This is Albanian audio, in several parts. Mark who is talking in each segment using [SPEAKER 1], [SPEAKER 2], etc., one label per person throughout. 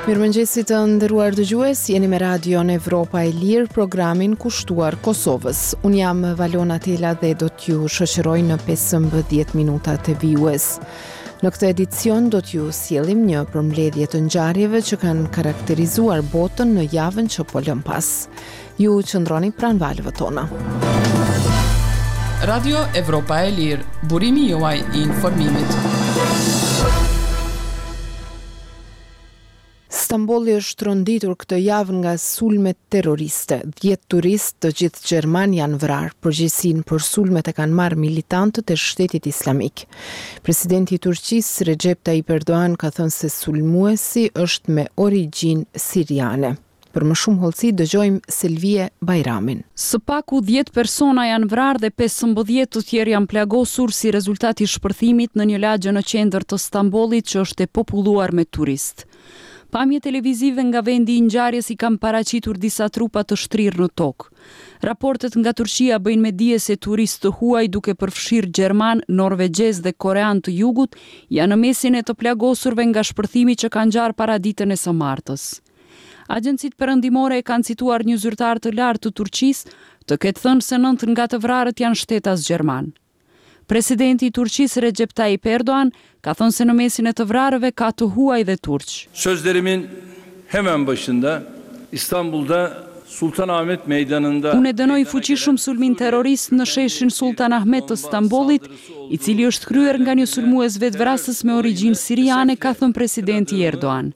[SPEAKER 1] Mirëmëngjesi të nderuar dëgjues, jeni me Radion Evropa e Lirë, programin kushtuar Kosovës. Unë jam Valona Tela dhe do t'ju shoqëroj në 15 minutat vijuese. Në këtë edicion do t'ju sjellim një përmbledhje të ngjarjeve që kanë karakterizuar botën në javën që po lëmë pas. Ju qëndroni pranë valëve tona.
[SPEAKER 2] Radio Evropa e Lirë, burimi juaj i informimit.
[SPEAKER 1] Stambolli është tronditur këtë javë nga sulmet terroriste. 10 turistë, të gjithë gjermanë, janë vrarë. Përgjegjësinë për sulmet e kanë marrë militantët e Shtetit Islamik. Presidenti i Turqisë, Rexhep Tayyip Erdogan ka thënë se sulmuesi është me origjinë siriane. Për më shumë hollësi dëgjojmë Selvije Bajramin.
[SPEAKER 2] Së paku dhjetë persona janë vrarë dhe 15 të tjerë janë plagosur si rezultat i shpërthimit në një lagje në qendër të Stambollit që është e populluar me turistë. Pamje televizive nga vendi i ngjarjes i kanë paraqitur disa trupa të shtrirë në tokë. Raportet nga Turqia bëjnë me dije se turistë të huaj duke përfshirë gjermanë, norvegjezë dhe koreanë të jugut janë në mesin e të plagosurve nga shpërthimi që ka ngjarë paraditen e së martës. Agjencitë perëndimore e kanë cituar një zyrtar të lartë të Turqisë të ketë thënë se nëntë nga të vrarët janë shtetas gjermanë. Presidenti i Turqisë Rexhep Tayyip Erdogan ka thënë se në mesin e të vrarëve ka të huaj dhe turq.
[SPEAKER 3] Sözlerimin hemen başında Istanbul'da Sultanahmet Meydanı'nda
[SPEAKER 2] Unë e dënoj fuqishëm sulmin terrorist në sheshin Sulltan Ahmet të Stambollit, i cili është kryer nga një sulmues vetëvrasës me origjinë siriane, ka thënë presidenti Erdogan.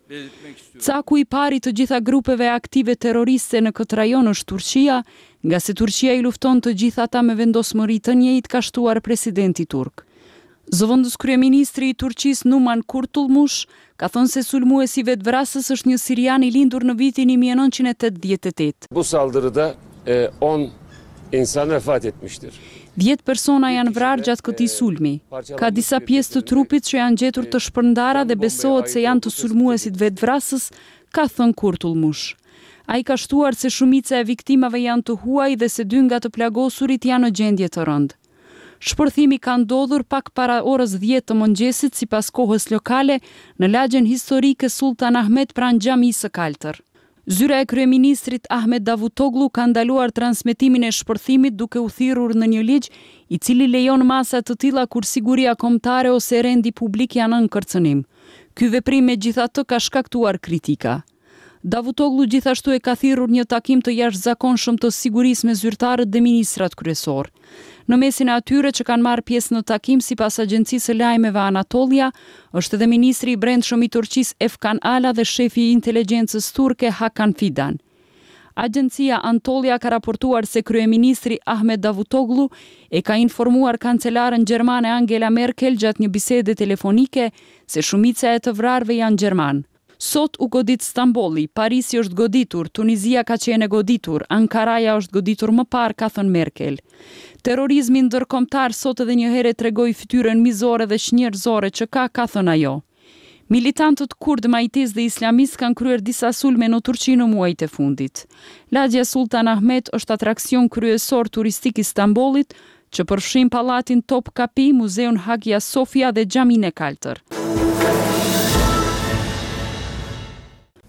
[SPEAKER 2] Caku i parë i të gjitha grupeve aktive terroriste në këtë rajon është Turqia, ngase Turqia i lufton të gjithë ata me vendosmëri të njëjtë, ka shtuar presidenti turk. Zëvendëskryeministri i Turqisë Numan Kurtulmush ka thënë se sulmuesi vetëvrasës është një sirian i lindur në vitin 1988.
[SPEAKER 3] Bu saldırıda on insan vefat etmiştir.
[SPEAKER 2] Dhjetë persona janë vrarë gjatë këtij sulmi. Ka disa pjesë të trupit që janë gjetur të shpërndara dhe besohet se janë të sulmuesit vetëvrasës, ka thënë Kurtulmush. Ai ka shtuar se shumica e viktimave janë të huaj dhe se dy nga të plagosurit janë në gjendje të rëndë. Shpërthimi ka ndodhur pak para orës dhjetë të mëngjesit sipas kohës lokale në lagjen historike Sulltan Ahmet pranë Xhamisë së Kaltër. Zyra e kryeministrit Ahmet Davutoglu ka ndaluar transmetimin e shpërthimit duke u thirrur në një ligj i cili lejon masa të tilla kur siguria kombëtare ose rendi publik janë nën kërcënim. Ky veprim megjithatë ka shkaktuar kritika. Davutoglu gjithashtu e ka thirrur një takim të jashtëzakonshëm të sigurisë me zyrtarët dhe ministrat kryesorë. Në mesin e atyre që kanë marrë pjesë në takim sipas agjencisë së lajmeve Anatolia, është edhe ministri i Brendshëm i Turqisë Efkan Ala dhe shefi i inteligjencës turke Hakan Fidan. Agjencia Anatolia ka raportuar se kryeministri Ahmet Davutoglu e ka informuar kancelaren gjermane Angela Merkel gjatë një bisede telefonike se shumica e të vrarëve janë gjermanë. Sot u godit Stambolli, Parisi është goditur, Tunizia ka qenë e goditur, Ankaraja është goditur më parë, ka thënë Merkel. Terrorizmi ndërkombëtar sot edhe një herë e tregoi fytyrën mizore dhe çnjerëzore që ka, ka thënë ajo. Militantët kurdë, majtistë dhe islamistë kanë kryer disa sulme në Turqi në muajt e fundit. Lagjja Sulltan Ahmet është atraksion kryesor turistik i Stambollit, që përfshin pallatin Topkapi, muzeun Hagia Sophia dhe Xhaminë e Kaltër.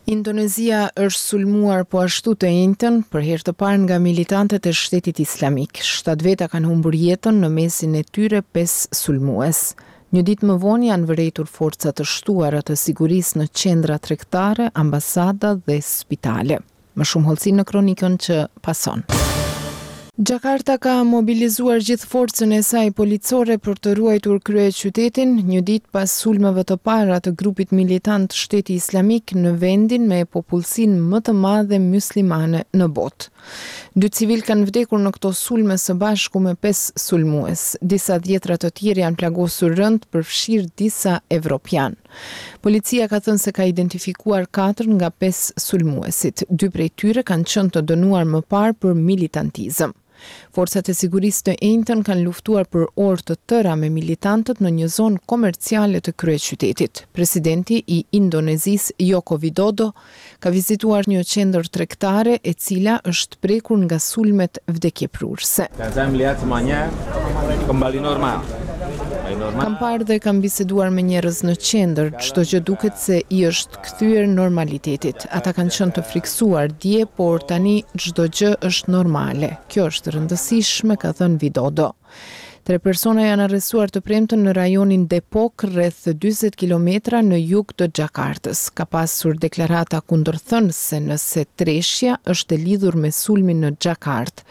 [SPEAKER 1] Indonezia është sulmuar po ashtu të enjten, për herë të parë nga militantët e Shtetit Islamik. Shtatë veta kanë humbur jetën, në mesin e tyre pesë sulmues. Një ditë më vonë janë vërejtur forca të shtuara të sigurisë në qendra tregtare, ambasada dhe spitale. Më shumë hollësi në kronikën që pason. Xhakarta ka mobilizuar gjithë forcën e saj policore për të ruajtur kryeqytetin, një ditë pas sulmeve të para të grupit militant Shteti Islamik në vendin me popullsinë më të madhe myslimane në botë. Dy civilë kanë vdekur në këto sulme së bashku me pesë sulmues. Disa dhjetra të tjerë janë plagosur rëndë, përfshirë disa evropianë. Policia ka thënë se ka identifikuar katër nga pesë sulmuesit. Dy prej tyre kanë qenë të dënuar më parë për militantizëm. Forcat e sigurisë të enjten kanë luftuar për orë të tëra me militantët në një zonë komerciale të kryeqytetit. Presidenti i Indonezisë, Joko Widodo, ka vizituar një qendër tregtare e cila është prekur nga sulmet vdekjeprurëse.
[SPEAKER 4] Dan saya melihat semuanya kembali normal.
[SPEAKER 1] Kam parë dhe kam biseduar me njerëz në qendër, çdo gjë duket se i është kthyer normalitetit. Ata kanë qenë të frikësuar dje, por tani çdo gjë është normale. Kjo është e rëndësishme, ka thënë Widodo. Tre persona janë arrestuar të premten në rajonin Depok, rreth 40 kilometra në jug të Xhakartës. Ka pasur deklarata kundërthënëse nëse treshja është e lidhur me sulmin në Xhakartë.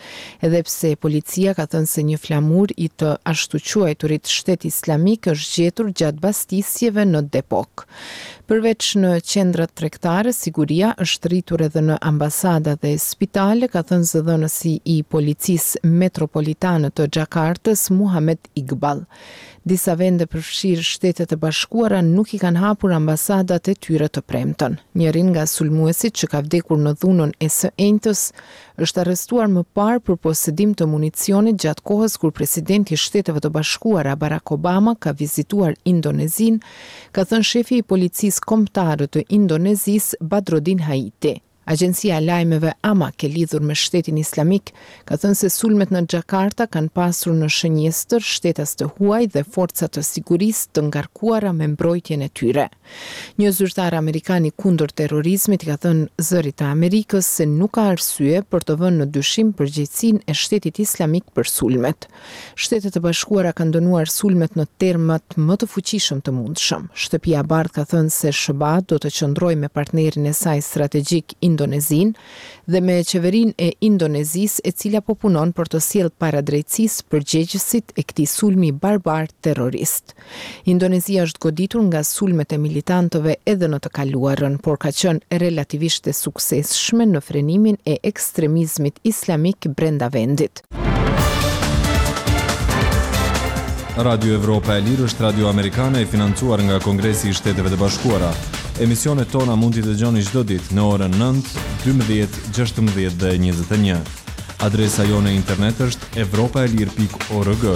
[SPEAKER 1] Edhe pse policia ka thënë se një flamur i të ashtuquajturit Shtet Islamik është gjetur gjatë bastisjeve në Depok. Përveç në qendrat tregtare, siguria është rritur edhe në ambasada dhe spitale, ka thënë zëdhënësi i Policisë Metropolitane të Xhakartës, Muhamed Iqbal. Disa vende përfshirë Shtetet e Bashkuara nuk i kanë hapur ambasadat e tyre të premten. Njëri nga sulmuesit që ka vdekur në dhunën e së enjtës është arrestuar më parë për posedim të municionit gjatë kohës kur presidenti i Shteteve të Bashkuara, Barack Obama ka vizituar Indonezinë, ka thënë shefi i Policisë Kombëtare të Indonezisë, Badrodin Haiti. Agjencia e lajmeve Amaq e lidhur me Shtetin Islamik ka thënë se sulmet në Xhakarta kanë pasur në shënjestër shtetas të huaj dhe forca të sigurisë të ngarkuara me mbrojtjen e tyre. Një zyrtar amerikan i kundër-terrorizmit i ka thënë Zërit të Amerikës se nuk ka arsye për të vënë në dyshim përgjegjësinë e Shtetit Islamik për sulmet. Shtetet e Bashkuara kanë dënuar sulmet në termat më të fuqishëm të mundshëm. Shtëpia e Bardhë ka thënë se SHBA do të qëndrojë me partnerin e saj strategjik Indonezinë dhe me qeverinë e Indonezisë e cila po punon për të sjellë para drejtësisë përgjegjësit e këtij sulmi barbar terrorist. Indonezia është goditur nga sulmet e militantëve edhe në të kaluarën, por ka qenë relativisht e suksesshme në frenimin e ekstremizmit islamik brenda vendit.
[SPEAKER 4] Radio Evropa e Lirë është radio amerikane e financuar nga Kongresi i Shteteve të Bashkuara. Emisionet tona mund t'i dëgjoni çdo ditë në orën 9, 12, 16 dhe 21. Adresa jonë e internet është evropaelire.org.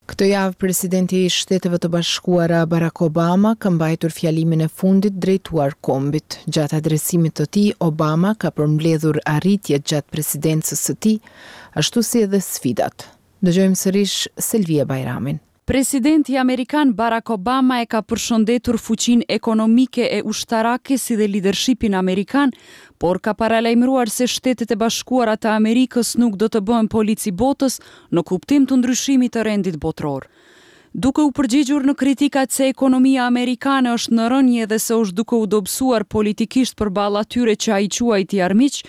[SPEAKER 1] Këtë javë presidenti i Shteteve të Bashkuara Barack Obama ka mbajtur fjalimin e fundit drejtuar kombit. Gjatë adresimit të tij, Obama ka përmbledhur arritjet gjatë presidencës së tij, ashtu si edhe sfidat. Dëgjojmë sërish Selvije Bajramin.
[SPEAKER 2] Presidenti amerikan Barack Obama e ka përshëndetur fuqinë ekonomike e ushtarake si dhe lidershipin amerikan, por ka paralajmëruar se Shtetet e Bashkuara të Amerikës nuk do të bëhen polic i botës në kuptim të ndryshimit të rendit botëror. Duke u përgjigjur në kritikat se ekonomia amerikane është në rënie dhe se është duke u dobësuar politikisht përballë atyre që ai quajti armiq,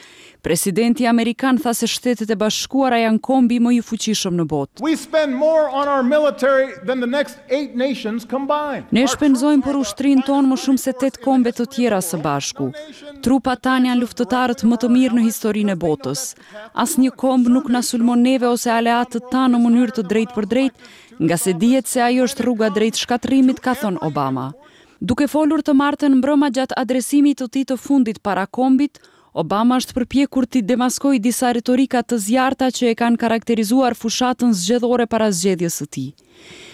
[SPEAKER 2] Presidenti amerikan tha se Shtetet e Bashkuara janë kombi më i fuqishëm në botë. Ne shpenzojmë për ushtrinë tonë më shumë se tetë kombe të tjera së bashku. Trupat tanë janë luftëtarët më të mirë në historinë e botës. Asnjë komb nuk na sulmon neve ose aleatët tanë në mënyrë të drejtpërdrejtë, ngase dihet se ajo është rruga drejt shkatërrimit, ka thënë Obama. Duke folur të martën mbrëma gjatë adresimit të tij të fundit para kombit, Obama është përpjekur t'i demaskojë disa retorika të zjarrta që e kanë karakterizuar fushatën zgjedhore para zgjedhjes së tij.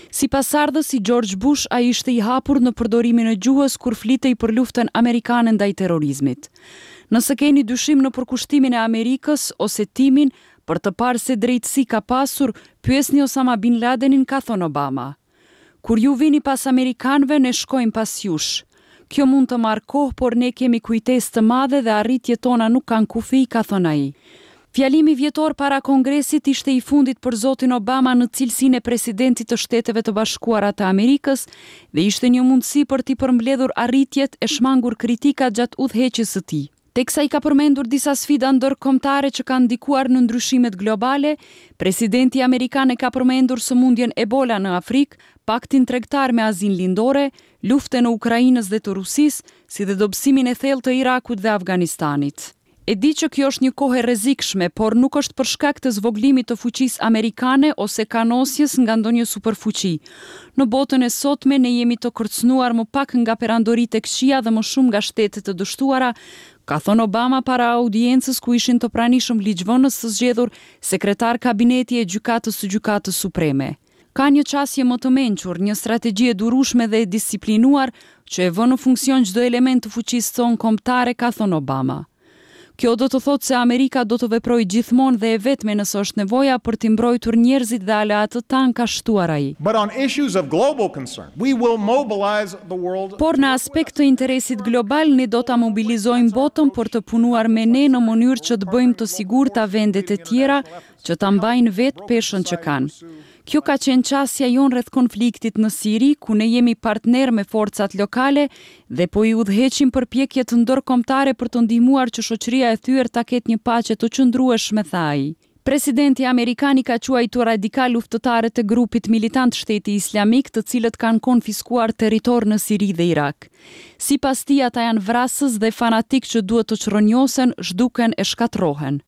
[SPEAKER 2] Si pasardhës i George Bush, ai ishte i hapur në përdorimin e gjuhës kur flitej për luftën amerikane ndaj terrorizmit. Nëse keni dyshim në përkushtimin e Amerikës, ose timin, për të parë se drejtësi ka pasur, pyesni Osama Bin Ladenin, ka thënë Obama. Kur ju vini pas amerikanëve, ne shkojmë pas jush. Kjo mund të marrë kohë, por ne kemi kujtesë të madhe dhe arritjet tona nuk kanë kufij, ka thënë ai. Fjalimi vjetor para Kongresit ishte i fundit për zotin Obama në cilësinë e presidentit të Shteteve të Bashkuara të Amerikës dhe ishte një mundësi për t'i përmbledhur arritjet e shmangur kritikat gjatë udhëheqjes së tij. Teksa i ka përmendur disa sfida ndërkombëtare që kanë ndikuar në ndryshimet globale, presidenti amerikan e ka përmendur sëmundjen Ebola në Afrikë, paktin tregtar me Azinë Lindore, luftën e Ukrainës dhe të Rusisë, si dhe dobësimin e thellë të Irakut dhe Afganistanit. E di që kjo është një kohë e rrezikshme, por nuk është për shkak të zvogëlimit të fuqisë amerikane ose kanosjes nga ndonjë superfuqi. Në botën e sotme ne jemi të kërcënuar më pak nga perandoritë e këqija dhe më shumë nga shtete të dështuara, ka thënë Obama para audiencës ku ishin të pranishëm ligjvënës të zgjedhur, sekretarë kabineti e gjykatës së Gjykatës Supreme. Ka një qasje më të mençur, një strategji e durueshme dhe e disiplinuar që e vë në funksion çdo element të fuqisë sonë kombëtare, ka thënë Obama. Kjo do të thotë se Amerika do të veprojë gjithmonë dhe e vetme nëse është nevoja për t'i mbrojtur njerëzit dhe aleatët tanë, ka shtuar ai. Por në aspekt të interesit global, ne do ta mobilizojmë botën për të punuar me ne në mënyrë që të bëjmë të sigurta vendet e tjera që ta mbajnë vetë peshën që kanë. Kjo ka qenë qasja jonë rreth konfliktit në Siri, ku ne jemi partnerë me forcat lokale dhe po i udhëheqim përpjekjet ndërkombëtare për të ndihmuar që shoqëria e thyer ta ketë një paqe të qëndrueshme, tha ai. Presidenti amerikan i ka quajtur radikalë luftëtarët e grupit militant Shteti Islamik, të cilët kanë konfiskuar territor në Siri dhe Irak. Sipas tij, ata janë vrasës dhe fanatikë që duhet të çrrënjosen, zhduken e shkatërrohen.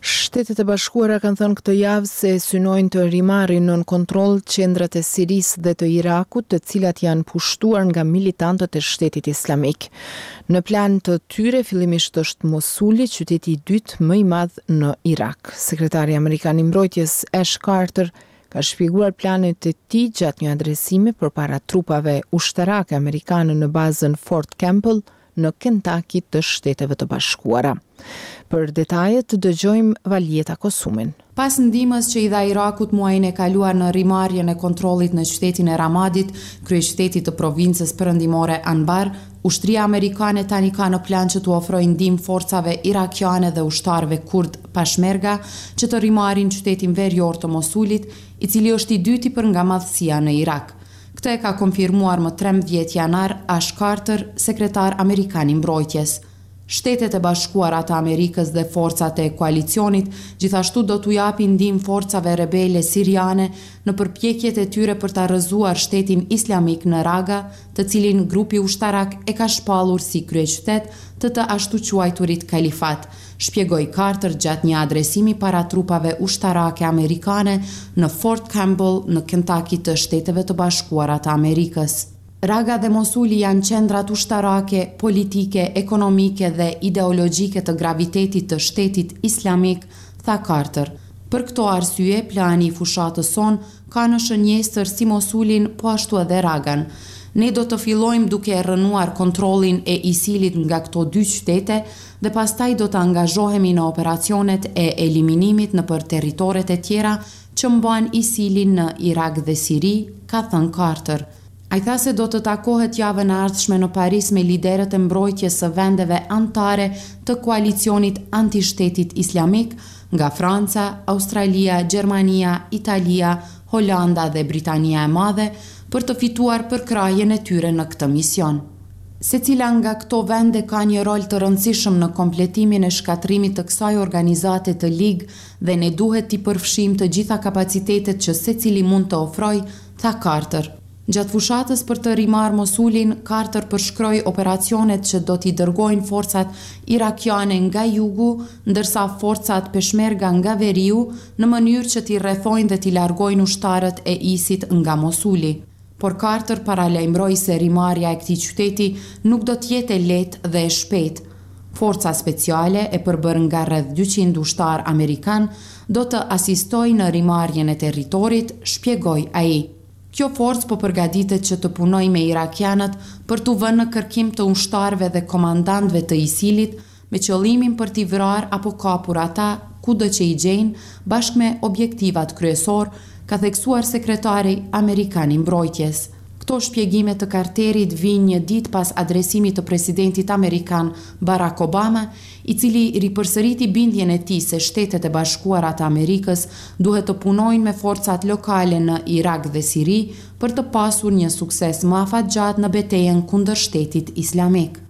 [SPEAKER 1] Shtetet e Bashkuara kanë thënë këtë javë se synojnë të rimarrin nën kontroll qendrat e Sirisë dhe të Irakut, të cilat janë pushtuar nga militantët e Shtetit Islamik. Në plan të tyre fillimisht është Mosuli, qyteti i dytë më i madh në Irak. Sekretari amerikan i Mbrojtjes Ash Carter ka shpjeguar planet e tij gjatë një adresimi përpara trupave ushtarake amerikane në bazën Fort Campbell në Kentaki të Shteteve të Bashkuara. Për detajet dëgjojmë Valjeta Kosumin.
[SPEAKER 5] Pas ndihmës që i dha Irakut muajin e kaluar në rimarrjen e kontrollit në qytetin e Ramadit, kryeqytetit të provincës perëndimore Anbar, ushtria amerikane tani ka në plan që t'u ofrojë ndihmë forcave irakiane dhe ushtarëve kurdë Peshmerga që të rimarrin qytetin verior të Mosulit, i cili është i dyti për nga madhësia në Irak. Këtë e ka konfirmuar më 13 janar Ash Carter, sekretar amerikan i mbrojtjes. Shtetet e Bashkuara të Amerikës dhe forcat e koalicionit gjithashtu do t'u japin ndihmë forcave rebele siriane në përpjekjet e tyre për ta rrëzuar Shtetin Islamik në Raga, të cilin grupi ushtarak e ka shpallur si kryeqytet të të ashtuquajturit kalifat, shpjegoi Carter gjatë një adresimi para trupave ushtarake amerikane në Fort Campbell në Kentucky të Shteteve të Bashkuara të Amerikës. Raga dhe Mosuli janë qendrat ushtarake, politike, ekonomike dhe ideologjike të gravitetit të Shtetit Islamik, tha Carter. Për këto arsye, plani i fushatës sonë ka në shënjestër si Mosulin, po ashtu edhe Ragan. Ne do të fillojmë duke e rrënuar kontrollin e ISIL-it nga këto dy qytete dhe pastaj do të angazhohemi në operacionet e eliminimit nëpër territoret e tjera që mban ISIL-i në Irak dhe Siri, ka thënë Carter. Ai tha se do të takohet javën e ardhshme në Paris me liderët e mbrojtjes së vendeve anëtare të koalicionit anti-Shtetit Islamik, nga Franca, Australia, Gjermania, Italia, Holanda dhe Britania e Madhe, për të fituar përkrahjen e tyre në këtë mision. Secila nga këto vende ka një rol të rëndësishëm në kompletimin e shkatërrimit të kësaj organizate të ligë dhe ne duhet t'i përfshijmë të gjitha kapacitetet që secili mund të ofrojë, tha Carter. Gjatë fushatës për të rimarrë Mosulin, Carter përshkroi operacionet që do t'i dërgojnë forcat irakiane nga jugu, ndërsa forcat peshmerga nga veriu, në mënyrë që t'i rrethojnë dhe t'i largojnë ushtarët e ISIS nga Mosuli. Por Carter paralajmëroi se rimarrja e këtij qyteti nuk do të jetë e lehtë dhe e shpejtë. Forca speciale, e përbërë nga rreth 200 ushtarë amerikanë, do të asistojë në rimarrjen e territorit, shpjegoi ai. Kjo forcë po përgatitet që të punojë me irakianët për t'u vënë në kërkim të ushtarëve dhe komandantëve të ISIL-it, me qëllimin për t'i vrarë apo kapur ata kudo që i gjejnë, bashkë me objektivat kryesorë, ka theksuar sekretari amerikan i mbrojtjes. Këto shpjegime të Carterit vijnë një ditë pas adresimit të presidentit amerikan Barack Obama, i cili ripërsëriti bindjen e tij se Shtetet e Bashkuara të Amerikës duhet të punojnë me forcat lokale në Irak dhe Siri për të pasur një sukses më afatgjatë në betejën kundër Shtetit Islamik.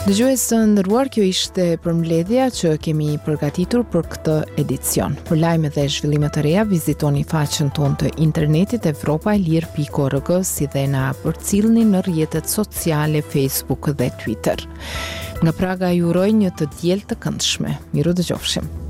[SPEAKER 1] Dëgjues të nderuar, kjo ishte përmbledhja që kemi përgatitur për këtë edicion. Për lajme dhe zhvillime të reja, vizitoni faqen tonë të internetit evropaelire.org si dhe na përcillni në rrjetet sociale Facebook dhe Twitter. Nga Praga ju uroj një të diel të këndshme. Mirudëgjofshim.